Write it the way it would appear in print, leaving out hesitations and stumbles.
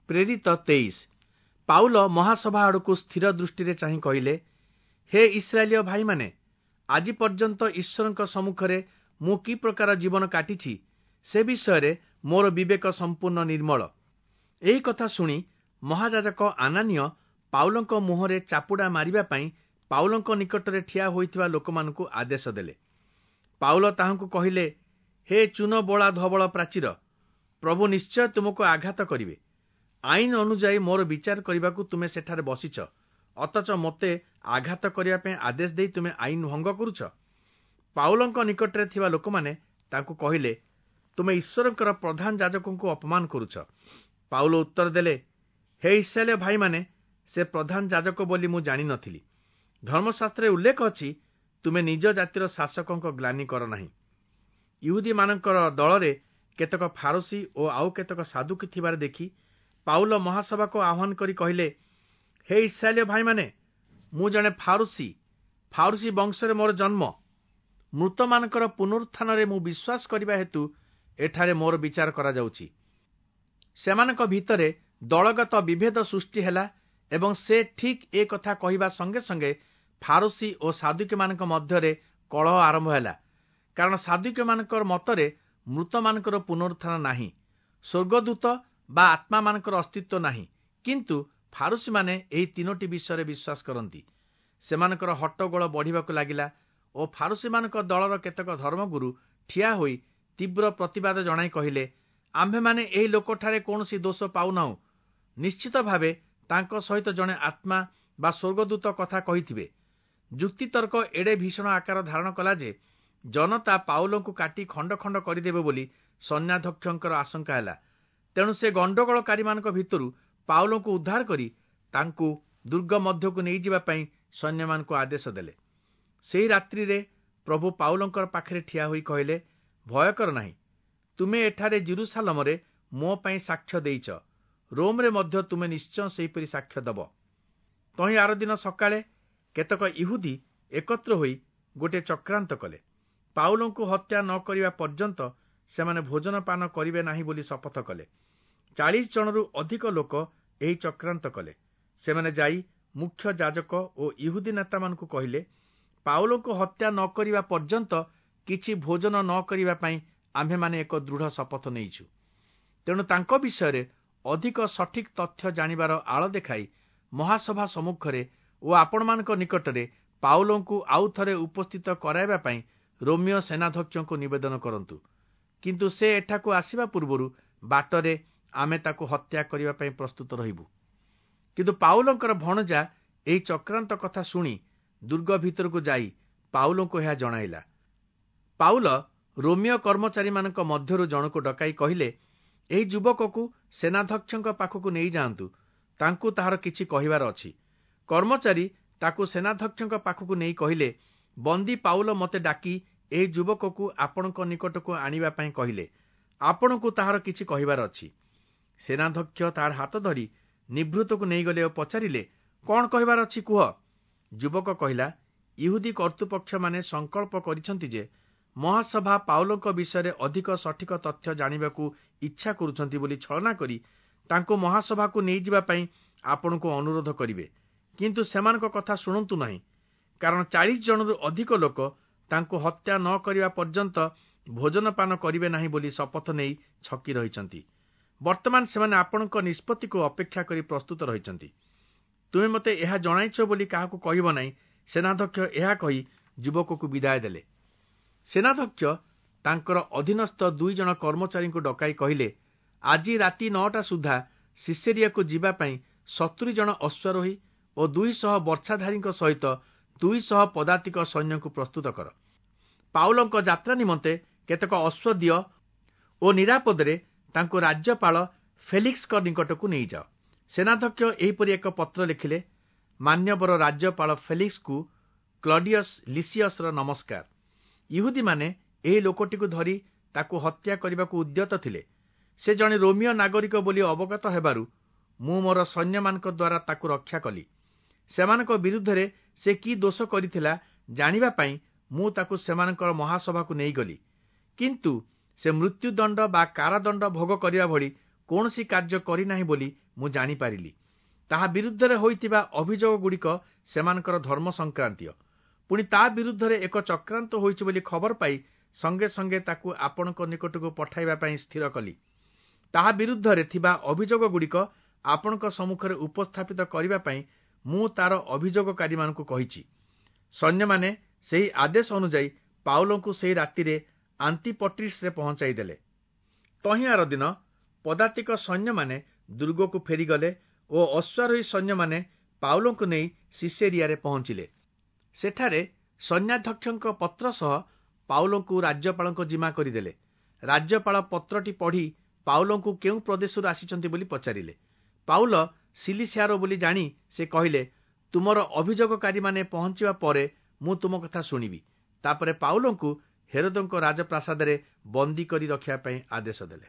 ପ୍ରେରିତ 23। ପାଉଲ ମହାସଭା ଆଡ଼କୁ ସ୍ଥିର ଦୃଷ୍ଟିରେ ଚାହିଁ କହିଲେ, ହେ ଇସ୍ରାଏଲୀୟ ଭାଇମାନେ, ଆଜି ପର୍ଯ୍ୟନ୍ତ ଈଶ୍ୱରଙ୍କ ସମ୍ମୁଖରେ ମୁଁ କି ପ୍ରକାର ଜୀବନ କାଟିଛି ସେ ବିଷୟରେ ମୋର ବିବେକ ସମ୍ପୂର୍ଣ୍ଣ ନିର୍ମଳ। ଏହି କଥା ଶୁଣି ମହାଯାଜକ ଆନାନୀୟ ପାଉଲଙ୍କ ମୁହଁରେ ଚାପୁଡ଼ା ମାରିବା ପାଇଁ ପାଉଲଙ୍କ ନିକଟରେ ଠିଆ ହୋଇଥିବା ଲୋକମାନଙ୍କୁ ଆଦେଶ ଦେଲେ। ପାଉଲ ତାହାଙ୍କୁ କହିଲେ, ହେ ଚୂନ ବୋଳା ଧବଳ ପ୍ରାଚୀର, ପ୍ରଭୁ ନିଶ୍ଚୟ ତୁମକୁ ଆଘାତ କରିବେ। ଆଇନ ଅନୁଯାୟୀ ମୋର ବିଚାର କରିବାକୁ ତୁମେ ସେଠାରେ ବସିଛ, ଅଥଚ ମୋତେ ଆଘାତ କରିବା ପାଇଁ ଆଦେଶ ଦେଇ ତୁମେ ଆଇନ ଭଙ୍ଗ କରୁଛ। ପାଉଲଙ୍କ ନିକଟରେ ଥିବା ଲୋକମାନେ ତାଙ୍କୁ କହିଲେ, ତୁମେ ଈଶ୍ୱରଙ୍କର ପ୍ରଧାନ ଯାଜକଙ୍କୁ ଅପମାନ କରୁଛ। ପାଉଲ ଉତ୍ତର ଦେଲେ, ହେ ଇସ୍ରାଏଲୀୟ ଭାଇମାନେ, ସେ ପ୍ରଧାନ ଯାଜକ ବୋଲି ମୁଁ ଜାଣିନଥିଲି। ଧର୍ମଶାସ୍ତ୍ରରେ ଉଲ୍ଲେଖ ଅଛି, ତୁମେ ନିଜ ଜାତିର ଶାସକଙ୍କ ଗ୍ଲାନି କର ନାହିଁ। ଇହୁଦୀମାନଙ୍କର ଦଳରେ କେତେକ ଫାରସୀ ଓ ଆଉ କେତେକ ସାଦୁକୀ ଥିବାର ଦେଖି ପାଉଲ ମହାସଭାକୁ ଆହ୍ୱାନ କରି କହିଲେ, ହେ ଇସ୍ରାଏଲୀୟ ଭାଇମାନେ, ମୁଁ ଜଣେ ଫାରୁସୀ, ଫାରୁସୀ ବଂଶରେ ମୋର ଜନ୍ମ। ମୃତମାନଙ୍କର ପୁନରୁତ୍ଥାନରେ ମୁଁ ବିଶ୍ୱାସ କରିବା ହେତୁ ଏଠାରେ ମୋର ବିଚାର କରାଯାଉଛି। ସେମାନଙ୍କ ଭିତରେ ଦଳଗତ ବିଭେଦ ସୃଷ୍ଟି ହେଲା ଏବଂ ସେ ଠିକ୍ ଏ କଥା କହିବା ସଙ୍ଗେ ସଙ୍ଗେ ଫାରୁସୀ ଓ ସାଦୁକୀମାନଙ୍କ ମଧ୍ୟରେ କଳହ ଆରମ୍ଭ ହେଲା। କାରଣ ସାଦୁକୀମାନଙ୍କର ମତରେ ମୃତମାନଙ୍କର ପୁନରୁତ୍ଥାନ ନାହିଁ, ସ୍ୱର୍ଗଦୂତ ବା ଆତ୍ମାମାନଙ୍କର ଅସ୍ତିତ୍ୱ ନାହିଁ। କିନ୍ତୁ ଫାରୁସୀମାନେ ଏହି ତିନୋଟି ବିଷୟରେ ବିଶ୍ୱାସ କରନ୍ତି। ସେମାନଙ୍କର ହଟ୍ଟଗୋଳ ବଢ଼ିବାକୁ ଲାଗିଲା ଓ ଫାରୁସୀମାନଙ୍କ ଦଳର କେତେକ ଧର୍ମଗୁରୁ ଠିଆ ହୋଇ ତୀବ୍ର ପ୍ରତିବାଦ ଜଣାଇ କହିଲେ, ଆମ୍ଭେମାନେ ଏହି ଲୋକଠାରେ କୌଣସି ଦୋଷ ପାଉନାହୁଁ। ନିଶ୍ଚିତ ଭାବେ ତାଙ୍କ ସହିତ ଜଣେ ଆତ୍ମା ବା ସ୍ୱର୍ଗଦୂତ କଥା କହିଥିବେ। ଯୁକ୍ତିତର୍କ ଏଡ଼େ ଭୀଷଣ ଆକାର ଧାରଣ କଲା ଯେ ଜନତା ପାଉଲଙ୍କୁ କାଟି ଖଣ୍ଡ ଖଣ୍ଡ କରିଦେବେ ବୋଲି ସୈନ୍ୟାଧ୍ୟକ୍ଷଙ୍କର ଆଶଙ୍କା ହେଲା। ତେଣୁ ସେ ଗଣ୍ଡଗୋଳକାରୀମାନଙ୍କ ଭିତରୁ ପାଉଲଙ୍କୁ ଉଦ୍ଧାର କରି ତାଙ୍କୁ ଦୁର୍ଗ ମଧ୍ୟକୁ ନେଇଯିବା ପାଇଁ ସୈନ୍ୟମାନଙ୍କୁ ଆଦେଶ ଦେଲେ। ସେହି ରାତ୍ରିରେ ପ୍ରଭୁ ପାଉଲଙ୍କର ପାଖରେ ଠିଆ ହୋଇ କହିଲେ, ଭୟ କର ନାହିଁ, ତୁମେ ଏଠାରେ ଯିରୂଶାଲମରେ ମୋ ପାଇଁ ସାକ୍ଷ୍ୟ ଦେଇଛ, ରୋମରେ ମଧ୍ୟ ତୁମେ ନିଶ୍ଚୟ ସେହିପରି ସାକ୍ଷ୍ୟ ଦେବ। ତହିଁ ଆରଦିନ ସକାଳେ କେତେକ ଇହୁଦୀ ଏକତ୍ର ହୋଇ ଗୋଟିଏ ଚକ୍ରାନ୍ତ କଲେ। ପାଉଲଙ୍କୁ ହତ୍ୟା ନ କରିବା ପର୍ଯ୍ୟନ୍ତ ସେମାନେ ଭୋଜନ ପାନ କରିବେ ନାହିଁ ବୋଲି ଶପଥ କଲେ। 40 ଜଣରୁ ଅଧିକ ଲୋକ ଏହି ଚକ୍ରାନ୍ତ କଲେ। ସେମାନେ ଯାଇ ମୁଖ୍ୟ ଯାଜକ ଓ ଇହୁଦୀ ନେତାମାନଙ୍କୁ କହିଲେ, ପାଉଲଙ୍କୁ ହତ୍ୟା ନ କରିବା ପର୍ଯ୍ୟନ୍ତ କିଛି ଭୋଜନ ନ କରିବା ପାଇଁ ଆମ୍ଭେମାନେ ଏକ ଦୃଢ଼ ଶପଥ ନେଇଛୁ। ତେଣୁ ତାଙ୍କ ବିଷୟରେ ଅଧିକ ସଠିକ୍ ତଥ୍ୟ ଜାଣିବାର ଆଳ ଦେଖାଇ ମହାସଭା ସମ୍ମୁଖରେ ଓ ଆପଣମାନଙ୍କ ନିକଟରେ ପାଉଲଙ୍କୁ ଆଉ ଥରେ ଉପସ୍ଥିତ କରାଇବା ପାଇଁ ରୋମୀୟ ସେନାଧ୍ୟକ୍ଷଙ୍କୁ ନିବେଦନ କରନ୍ତୁ। କିନ୍ତୁ ସେ ଏଠାକୁ ଆସିବା ପୂର୍ବରୁ ବାଟରେ ଆମେ ତାକୁ ହତ୍ୟା କରିବା ପାଇଁ ପ୍ରସ୍ତୁତ ରହିବୁ। କିନ୍ତୁ ପାଉଲଙ୍କର ଭଣଜା ଏହି ଚକ୍ରାନ୍ତ କଥା ଶୁଣି ଦୁର୍ଗ ଭିତରକୁ ଯାଇ ପାଉଲଙ୍କୁ ଏହା ଜଣାଇଲା। ପାଉଲ ରୋମୀୟ କର୍ମଚାରୀମାନଙ୍କ ମଧ୍ୟରୁ ଜଣକୁ ଡକାଇ କହିଲେ, ଏହି ଯୁବକକୁ ସେନାଧ୍ୟକ୍ଷଙ୍କ ପାଖକୁ ନେଇଯାଆନ୍ତୁ, ତାଙ୍କୁ ତାହାର କିଛି କହିବାର ଅଛି। କର୍ମଚାରୀ ତାକୁ ସେନାଧ୍ୟକ୍ଷଙ୍କ ପାଖକୁ ନେଇ କହିଲେ, ବନ୍ଦୀ ପାଉଲ ମୋତେ ଡାକି ଏହି ଯୁବକକୁ ଆପଣଙ୍କ ନିକଟକୁ ଆଣିବା ପାଇଁ କହିଲେ, ଆପଣଙ୍କୁ ତାହାର କିଛି କହିବାର ଅଛି। ସେନାଧ୍ୟକ୍ଷ ତାହାର ହାତ ଧରି ନିଭୃତକୁ ନେଇଗଲେ ଓ ପଚାରିଲେ, କଣ କହିବାର ଅଛି କୁହ। ଯୁବକ କହିଲା, ଇହୁଦୀ କର୍ତ୍ତୃପକ୍ଷମାନେ ସଂକଳ୍ପ କରିଛନ୍ତି ଯେ ମହାସଭା ପାଉଲଙ୍କ ବିଷୟରେ ଅଧିକ ସଠିକ ତଥ୍ୟ ଜାଣିବାକୁ ଇଚ୍ଛା କରୁଛନ୍ତି ବୋଲି ଛଳନା କରି ତାଙ୍କୁ ମହାସଭାକୁ ନେଇଯିବା ପାଇଁ ଆପଣଙ୍କୁ ଅନୁରୋଧ କରିବେ। କିନ୍ତୁ ସେମାନଙ୍କ କଥା ଶୁଣନ୍ତୁ ନାହିଁ, କାରଣ 40 ଜଣରୁ ଅଧିକ ଲୋକ ତାଙ୍କୁ ହତ୍ୟା ନ କରିବା ପର୍ଯ୍ୟନ୍ତ ଭୋଜନପାନ କରିବେ ନାହିଁ ବୋଲି ଶପଥ ନେଇ ଛକି ରହିଛନ୍ତି। ବର୍ତ୍ତମାନ ସେମାନେ ଆପଣଙ୍କ ନିଷ୍ପତ୍ତିକୁ ଅପେକ୍ଷା କରି ପ୍ରସ୍ତୁତ ରହିଛନ୍ତି। ତୁମେ ମୋତେ ଏହା ଜଣାଇଛ ବୋଲି କାହାକୁ କହିବ ନାହିଁ। ସେନାଧ୍ୟକ୍ଷ ଏହା କହି ଯୁବକକୁ ବିଦାୟ ଦେଲେ। ସେନାଧ୍ୟକ୍ଷ ତାଙ୍କର ଅଧୀନସ୍ଥ 2 ଜଣ କର୍ମଚାରୀଙ୍କୁ ଡକାଇ କହିଲେ, ଆଜି ରାତି 9ଟା ସୁଦ୍ଧା ସିସେରିଆକୁ ଯିବା ପାଇଁ 70 ଜଣ ଅଶ୍ୱାରୋହୀ ଓ 200 ବର୍ଚ୍ଛାଧାରୀଙ୍କ ସହିତ 200 ପଦାତିକ ସୈନ୍ୟଙ୍କୁ ପ୍ରସ୍ତୁତ କର। ପାଉଲଙ୍କ ଯାତ୍ରା ନିମନ୍ତେ କେତେକ ଅଶ୍ୱ ଦିଅ ଓ ନିରାପଦରେ ତାଙ୍କୁ ରାଜ୍ୟପାଳ ଫେଲିକ୍ସଙ୍କ ନିକଟକୁ ନେଇଯାଅ। ସେନାଧ୍ୟକ୍ଷ ଏହିପରି ଏକ ପତ୍ର ଲେଖିଲେ, ମାନ୍ୟବର ରାଜ୍ୟପାଳ ଫେଲିକ୍ସଙ୍କୁ କ୍ଲଡିୟସ୍ ଲିସିୟସର ନମସ୍କାର। ଇହୁଦୀମାନେ ଏହି ଲୋକଟିକୁ ଧରି ତାକୁ ହତ୍ୟା କରିବାକୁ ଉଦ୍ୟତ ଥିଲେ। ସେ ଜଣେ ରୋମୀୟ ନାଗରିକ ବୋଲି ଅବଗତ ହେବାରୁ ମୁଁ ମୋର ସୈନ୍ୟମାନଙ୍କ ଦ୍ୱାରା ତାକୁ ରକ୍ଷା କଲି। ସେମାନଙ୍କ ବିରୁଦ୍ଧରେ ସେ କି ଦୋଷ କରିଥିଲା ଜାଣିବା ପାଇଁ ମୁଁ ତାକୁ ସେମାନଙ୍କର ମହାସଭାକୁ ନେଇଗଲି। କିନ୍ତୁ ସେ ମୃତ୍ୟୁଦଣ୍ଡ ବା କାରାଦଣ୍ଡ ଭୋଗ କରିବା ଭଳି କୌଣସି କାର୍ଯ୍ୟ କରିନାହିଁ ବୋଲି ମୁଁ ଜାଣିପାରିଲି। ତାହା ବିରୁଦ୍ଧରେ ହୋଇଥିବା ଅଭିଯୋଗଗୁଡ଼ିକ ସେମାନଙ୍କର ଧର୍ମ ସଂକ୍ରାନ୍ତୀୟ। ପୁଣି ତା ବିରୁଦ୍ଧରେ ଏକ ଚକ୍ରାନ୍ତ ହୋଇଛି ବୋଲି ଖବର ପାଇ ସଙ୍ଗେ ସଙ୍ଗେ ତାକୁ ଆପଣଙ୍କ ନିକଟକୁ ପଠାଇବା ପାଇଁ ସ୍ଥିର କଲି। ତାହା ବିରୁଦ୍ଧରେ ଥିବା ଅଭିଯୋଗଗୁଡ଼ିକ ଆପଣଙ୍କ ସମ୍ମୁଖରେ ଉପସ୍ଥାପିତ କରିବା ପାଇଁ ମୁଁ ତାର ଅଭିଯୋଗକାରୀମାନଙ୍କୁ କହିଛି। ସୈନ୍ୟମାନେ ସେହି ଆଦେଶ ଅନୁଯାୟୀ ପାଉଲଙ୍କୁ ସେହି ରାତିରେ ଆନ୍ତିପଟ୍ରିସରେ ପହଞ୍ଚାଇ ଦେଲେ। ତହିଁ ଆରଦିନ ପଦାତିକ ସୈନ୍ୟମାନେ ଦୁର୍ଗକୁ ଫେରିଗଲେ ଓ ଅଶ୍ୱାରୋହୀ ସୈନ୍ୟମାନେ ପାଉଲଙ୍କୁ ନେଇ ସିସେରିଆରେ ପହଞ୍ଚିଲେ। ସେଠାରେ ସୈନ୍ୟାଧ୍ୟକ୍ଷଙ୍କ ପତ୍ର ସହ ପାଉଲଙ୍କୁ ରାଜ୍ୟପାଳଙ୍କ ଜିମା କରିଦେଲେ। ରାଜ୍ୟପାଳ ପତ୍ରଟି ପଢ଼ି ପାଉଲଙ୍କୁ କେଉଁ ପ୍ରଦେଶରୁ ଆସିଛନ୍ତି ବୋଲି ପଚାରିଲେ। ପାଉଲ ସିଲିସିଆର ବୋଲି ଜାଣି ସେ କହିଲେ, ତୁମର ଅଭିଯୋଗକାରୀମାନେ ପହଞ୍ଚିବା ପରେ ମୁଁ ତୁମ କଥା ଶୁଣିବି। ତାପରେ ପାଉଲଙ୍କୁ ହେରୋଦଙ୍କ ରାଜପ୍ରାସାଦରେ ବନ୍ଦୀ କରି ରଖିବା ପାଇଁ ଆଦେଶ ଦେଲେ।